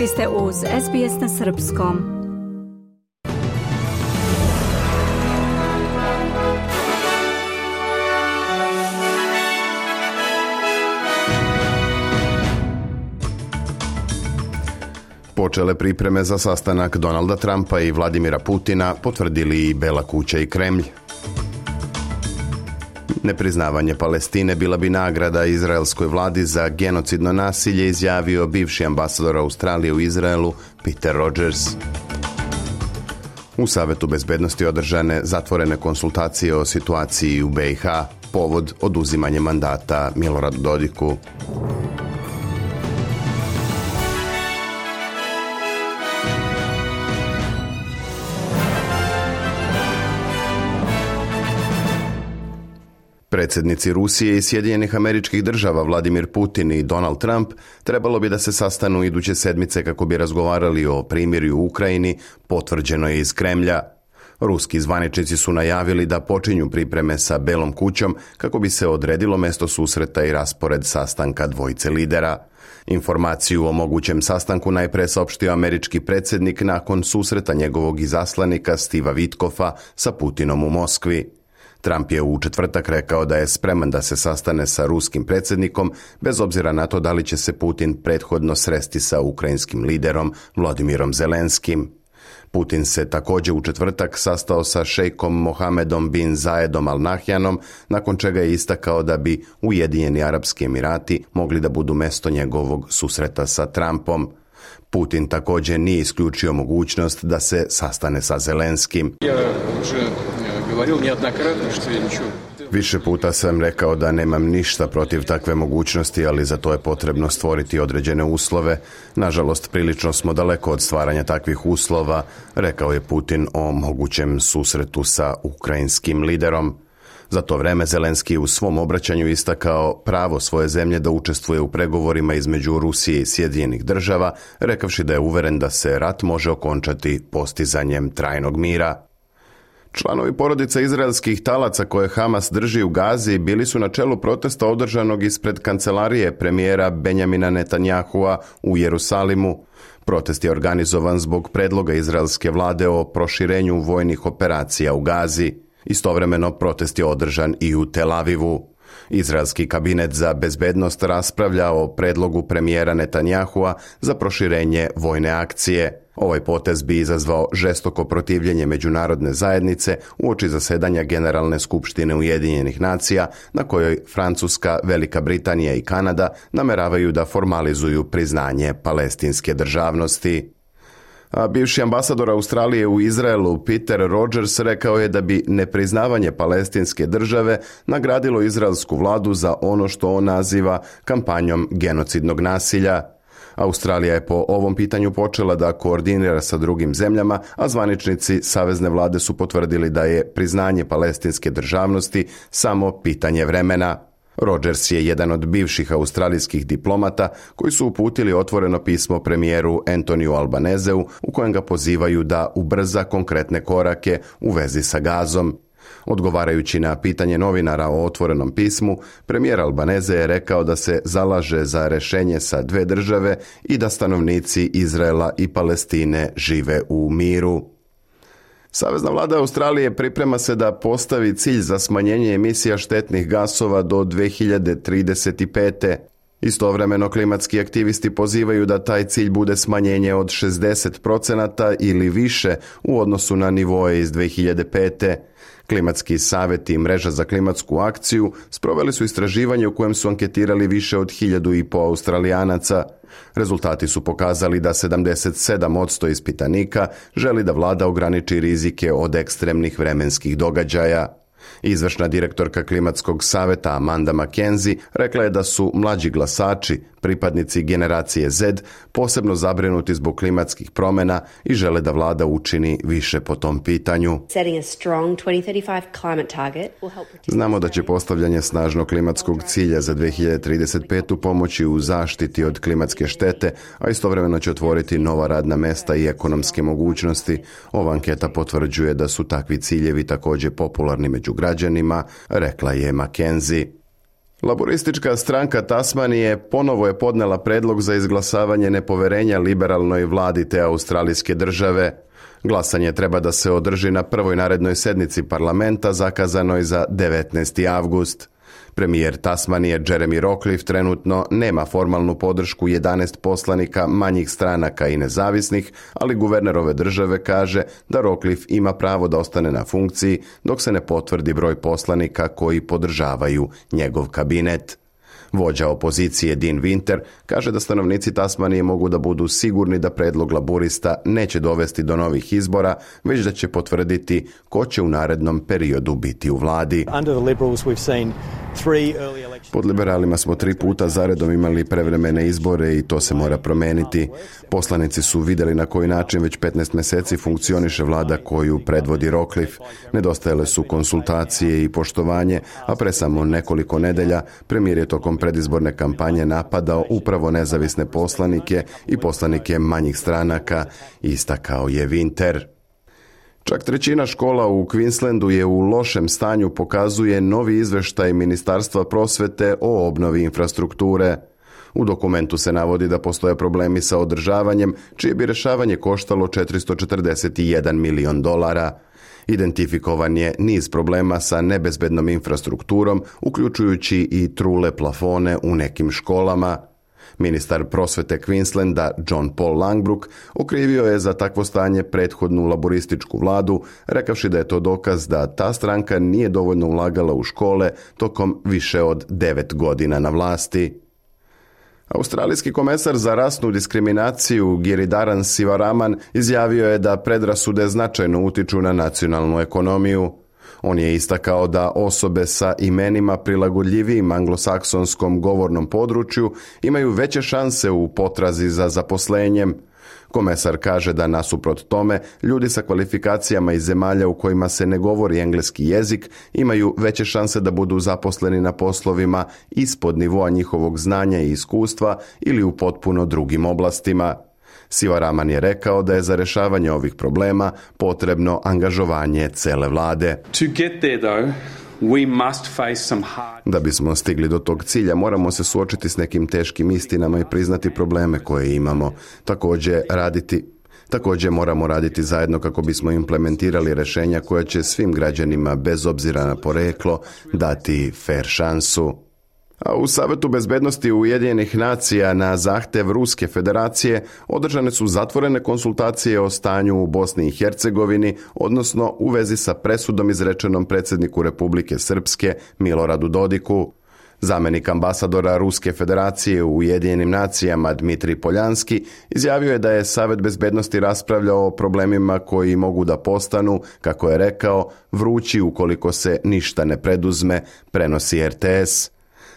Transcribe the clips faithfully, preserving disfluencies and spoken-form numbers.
Vi ste uz S B S na srpskom. Počele pripreme za sastanak Donalda Trumpa i Vladimira Putina, potvrdili i Bela kuća i Kremlj. Nepriznavanje Palestine bila bi nagrada izraelskoj vladi za genocidno nasilje, izjavio bivši ambasador Australije u Izraelu Peter Rogers. U Savetu bezbednosti održane zatvorene konsultacije o situaciji u B i H, povod oduzimanje mandata Miloradu Dodiku. Predsjednici Rusije i Sjedinjenih Američkih Država Vladimir Putin i Donald Trump trebalo bi da se sastanu iduće sedmice kako bi razgovarali o primirju u Ukrajini, potvrđeno je iz Kremlja. Ruski zvaničnici su najavili da počinju pripreme sa Belom kućom kako bi se odredilo mesto susreta i raspored sastanka dvojice lidera. Informaciju o mogućem sastanku najpre saopštio američki predsjednik nakon susreta njegovog izaslanika Steva Witkoffa sa Putinom u Moskvi. Trump je u četvrtak rekao da je spreman da se sastane sa ruskim predsjednikom, bez obzira na to da li će se Putin prethodno sresti sa ukrajinskim liderom Vladimirom Zelenskim. Putin se također u četvrtak sastao sa šejkom Mohamedom bin Zayedom Al Nahyanom, nakon čega je istakao da bi Ujedinjeni Arapski Emirati mogli da budu mesto njegovog susreta sa Trumpom. Putin također nije isključio mogućnost da se sastane sa Zelenskim. Više puta sam rekao da nemam ništa protiv takve mogućnosti, ali za to je potrebno stvoriti određene uslove. Nažalost, prilično smo daleko od stvaranja takvih uslova, rekao je Putin o mogućem susretu sa ukrajinskim liderom. Za to vreme Zelenski u svom obraćanju istakao pravo svoje zemlje da učestvuje u pregovorima između Rusije i Sjedinjenih Država, rekavši da je uveren da se rat može okončati postizanjem trajnog mira. Članovi porodica izraelskih talaca koje Hamas drži u Gazi bili su na čelu protesta održanog ispred kancelarije premijera Benjamina Netanyahua u Jerusalimu. Protest je organizovan zbog predloga izraelske vlade o proširenju vojnih operacija u Gazi. Istovremeno protest je održan i u Tel Avivu. Izraelski kabinet za bezbednost raspravlja o predlogu premijera Netanyahua za proširenje vojne akcije. Ovaj potez bi izazvao žestoko protivljenje međunarodne zajednice uoči zasedanja Generalne skupštine Ujedinjenih nacija, na kojoj Francuska, Velika Britanija i Kanada nameravaju da formalizuju priznanje palestinske državnosti. A bivši ambasador Australije u Izraelu Peter Rogers rekao je da bi nepriznavanje palestinske države nagradilo izraelsku vladu za ono što on naziva kampanjom genocidnog nasilja. Australija je po ovom pitanju počela da koordinira sa drugim zemljama, a zvaničnici savezne vlade su potvrdili da je priznanje palestinske državnosti samo pitanje vremena. Rogers je jedan od bivših australijskih diplomata koji su uputili otvoreno pismo premijeru Antoniju Albanezeu u kojem ga pozivaju da ubrza konkretne korake u vezi sa Gazom. Odgovarajući na pitanje novinara o otvorenom pismu, premijer Albaneze je rekao da se zalaže za rješenje sa dve države i da stanovnici Izraela i Palestine žive u miru. Savezna vlada Australije priprema se da postavi cilj za smanjenje emisija štetnih gasova do dve hiljade trideset pete. Istovremeno klimatski aktivisti pozivaju da taj cilj bude smanjenje od šezdeset procenata ili više u odnosu na nivoe iz dve hiljade pete. Klimatski savjet i mreža za klimatsku akciju sproveli su istraživanje u kojem su anketirali više od hiljadu i po Australijanaca. Rezultati su pokazali da sedamdeset sedam posto ispitanika želi da vlada ograniči rizike od ekstremnih vremenskih događaja. Izvršna direktorka klimatskog savjeta Amanda McKenzie rekla je da su mlađi glasači, pripadnici generacije Z, posebno zabrinuti zbog klimatskih promjena i žele da vlada učini više po tom pitanju. Znamo da će postavljanje snažnog klimatskog cilja za dve hiljade trideset petu pomoći u zaštiti od klimatske štete, a istovremeno će otvoriti nova radna mesta i ekonomske mogućnosti. Ova anketa potvrđuje da su takvi ciljevi također popularni među građanima, rekla je McKenzie. Laboristička stranka Tasmanije ponovo je podnela predlog za izglasavanje nepoverenja liberalnoj vladi te australijske države. Glasanje treba da se održi na prvoj narednoj sednici parlamenta zakazanoj za devetnaesti avgust. Premijer Tasmanije Jeremy Rockliff trenutno nema formalnu podršku jedanaest poslanika manjih stranaka i nezavisnih, ali guverner ove države kaže da Rockliff ima pravo da ostane na funkciji dok se ne potvrdi broj poslanika koji podržavaju njegov kabinet. Vođa opozicije Dean Winter kaže da stanovnici Tasmanije mogu da budu sigurni da predlog laburista neće dovesti do novih izbora, već da će potvrditi ko će u narednom periodu biti u vladi. Pod liberalima smo tri puta zaredom imali prevremene izbore i to se mora promeniti. Poslanici su vidjeli na koji način već petnaest mjeseci funkcioniše vlada koju predvodi Rockliff. Nedostajale su konsultacije i poštovanje, a pre samo nekoliko nedelja premijer je tokom predizborne kampanje napadao upravo nezavisne poslanike i poslanike manjih stranaka, istakao je Winter. Čak trećina škola u Queenslandu je u lošem stanju, pokazuje novi izveštaj Ministarstva prosvete o obnovi infrastrukture. U dokumentu se navodi da postoje problemi sa održavanjem, čije bi rješavanje koštalo četiristo četrdeset jedan milion dolara. Identifikovan je niz problema sa nebezbednom infrastrukturom, uključujući i trule plafone u nekim školama. Ministar prosvete Queenslanda John Paul Langbrook okrivio je za takvo stanje prethodnu laborističku vladu, rekavši da je to dokaz da ta stranka nije dovoljno ulagala u škole tokom više od devet godina na vlasti. Australijski komesar za rasnu diskriminaciju Giridharan Sivaraman izjavio je da predrasude značajno utiču na nacionalnu ekonomiju. On je istakao da osobe sa imenima prilagodljivijim anglosaksonskom govornom području imaju veće šanse u potrazi za zaposlenjem. Komesar kaže da nasuprot tome, ljudi sa kvalifikacijama iz zemalja u kojima se ne govori engleski jezik imaju veće šanse da budu zaposleni na poslovima ispod nivoa njihovog znanja i iskustva ili u potpuno drugim oblastima. Sivaraman je rekao da je za rješavanje ovih problema potrebno angažovanje cele vlade. To get there though, we must face some hard... Da bismo stigli do tog cilja, moramo se suočiti s nekim teškim istinama i priznati probleme koje imamo. Također raditi Također moramo raditi zajedno kako bismo implementirali rješenja koja će svim građanima bez obzira na poreklo dati fair šansu. A u Savetu bezbednosti Ujedinjenih nacija na zahtev Ruske federacije održane su zatvorene konsultacije o stanju u Bosni i Hercegovini, odnosno u vezi sa presudom izrečenom predsjedniku Republike Srpske Miloradu Dodiku. Zamjenik ambasadora Ruske federacije u Ujedinjenim nacijama Dmitrij Poljanski izjavio je da je Savet bezbednosti raspravljao o problemima koji mogu da postanu, kako je rekao, vrući ukoliko se ništa ne preduzme, prenosi R T S.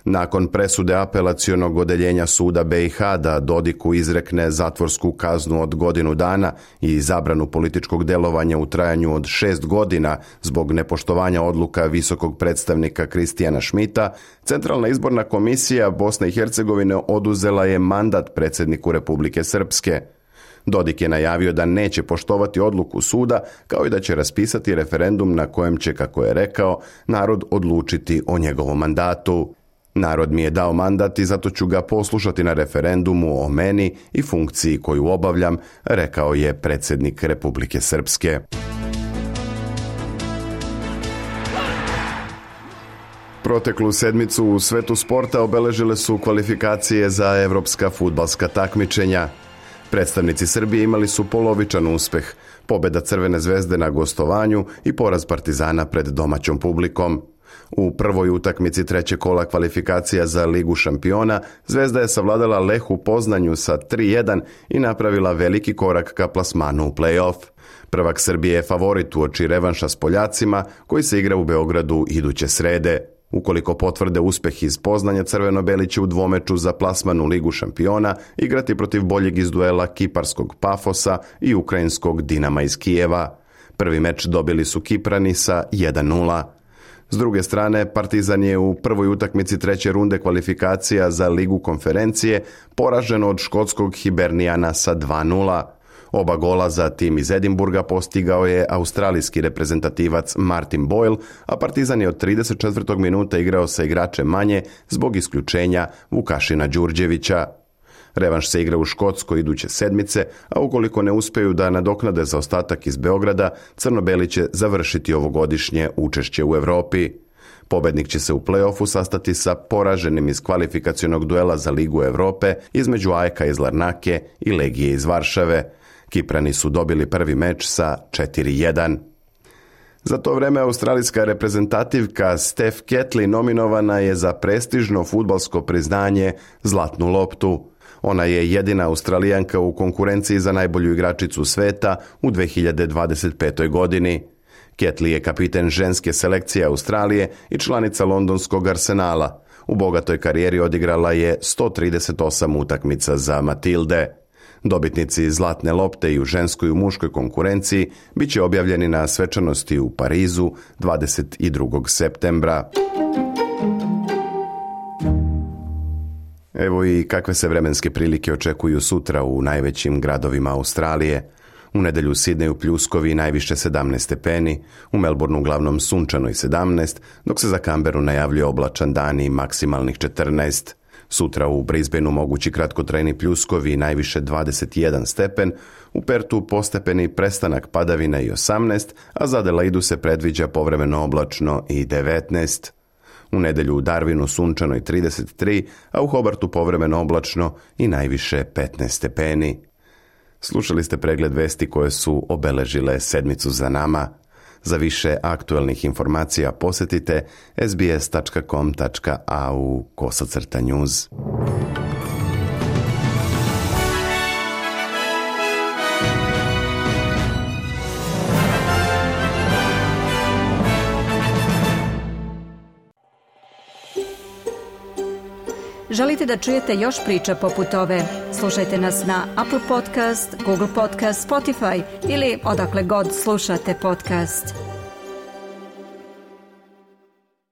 Nakon presude apelacionog odeljenja suda B i H da Dodiku izrekne zatvorsku kaznu od godinu dana i zabranu političkog delovanja u trajanju od šest godina zbog nepoštovanja odluka visokog predstavnika Kristijana Šmita, Centralna izborna komisija Bosne i Hercegovine oduzela je mandat predsjedniku Republike Srpske. Dodik je najavio da neće poštovati odluku suda, kao i da će raspisati referendum na kojem će, kako je rekao, narod odlučiti o njegovom mandatu. Narod mi je dao mandat i zato ću ga poslušati na referendumu o meni i funkciji koju obavljam, rekao je predsjednik Republike Srpske. Proteklu sedmicu u svetu sporta obeležile su kvalifikacije za evropska fudbalska takmičenja. Predstavnici Srbije imali su polovičan uspeh, pobjeda Crvene zvezde na gostovanju i poraz Partizana pred domaćom publikom. U prvoj utakmici trećeg kola kvalifikacija za Ligu šampiona, Zvezda je savladala Leh u Poznanju sa tri jedan i napravila veliki korak ka plasmanu u play-off. Prvak Srbije je favorit uoči revanša s Poljacima, koji se igra u Beogradu iduće srede. Ukoliko potvrde uspeh iz Poznanja, Crveno-beli će u dvomeču za plasman u Ligu šampiona igrati protiv boljeg iz duela kiparskog Pafosa i ukrajinskog Dinama iz Kijeva. Prvi meč dobili su Kiprani sa jedan nula. S druge strane, Partizan je u prvoj utakmici treće runde kvalifikacija za Ligu konferencije poražen od škotskog Hibernijana sa dva nula. Oba gola za tim iz Edinburga postigao je australijski reprezentativac Martin Boyle, a Partizan je od trideset četvrtog minuta igrao sa igračem manje zbog isključenja Vukašina Đurđevića. Revanš se igra u Škotskoj iduće sedmice, a ukoliko ne uspeju da nadoknade zaostatak iz Beograda, crno-beli će završiti ovogodišnje učešće u Evropi. Pobednik će se u play-offu sastati sa poraženim iz kvalifikacionog duela za Ligu Evrope između A E K-a iz Larnake i Legije iz Varšave. Kiprani su dobili prvi meč sa četiri jedan. Za to vreme australijska reprezentativka Steph Catley nominovana je za prestižno fudbalsko priznanje Zlatnu loptu. Ona je jedina Australijanka u konkurenciji za najbolju igračicu sveta u dve hiljade dvadeset petoj godini. Catley je kapiten ženske selekcije Australije i članica londonskog Arsenala. U bogatoj karijeri odigrala je sto trideset osam utakmica za Matilde. Dobitnici Zlatne lopte i u ženskoj i u muškoj konkurenciji bit će objavljeni na svečanosti u Parizu dvadeset drugog septembra. Evo i kakve se vremenske prilike očekuju sutra u najvećim gradovima Australije. U nedjelju u Sidneju pljuskovi najviše sedamnaest stepeni, u Melbourneu uglavnom sunčano i sedamnaest, dok se za Canberru najavljuje oblačan dan i maksimalnih četrnaest. Sutra u Brisbaneu mogući kratkotrajni pljuskovi najviše dvadeset jedan stepen, u Pertu postepeni prestanak padavina i osamnaest, a za Adelaidu se predviđa povremeno oblačno i devetnaest. U nedjelju u Darwinu sunčano i trideset tri, a u Hobartu povremeno oblačno i najviše petnaest stepeni. Slušali ste pregled vesti koje su obeležile sedmicu za nama. Za više aktualnih informacija posjetite sbs tačka com tačka a u kosacrta news. Želite da čujete još priča poput ove? Slušajte nas na Apple Podcast, Google Podcast, Spotify ili odakle god slušate podcast.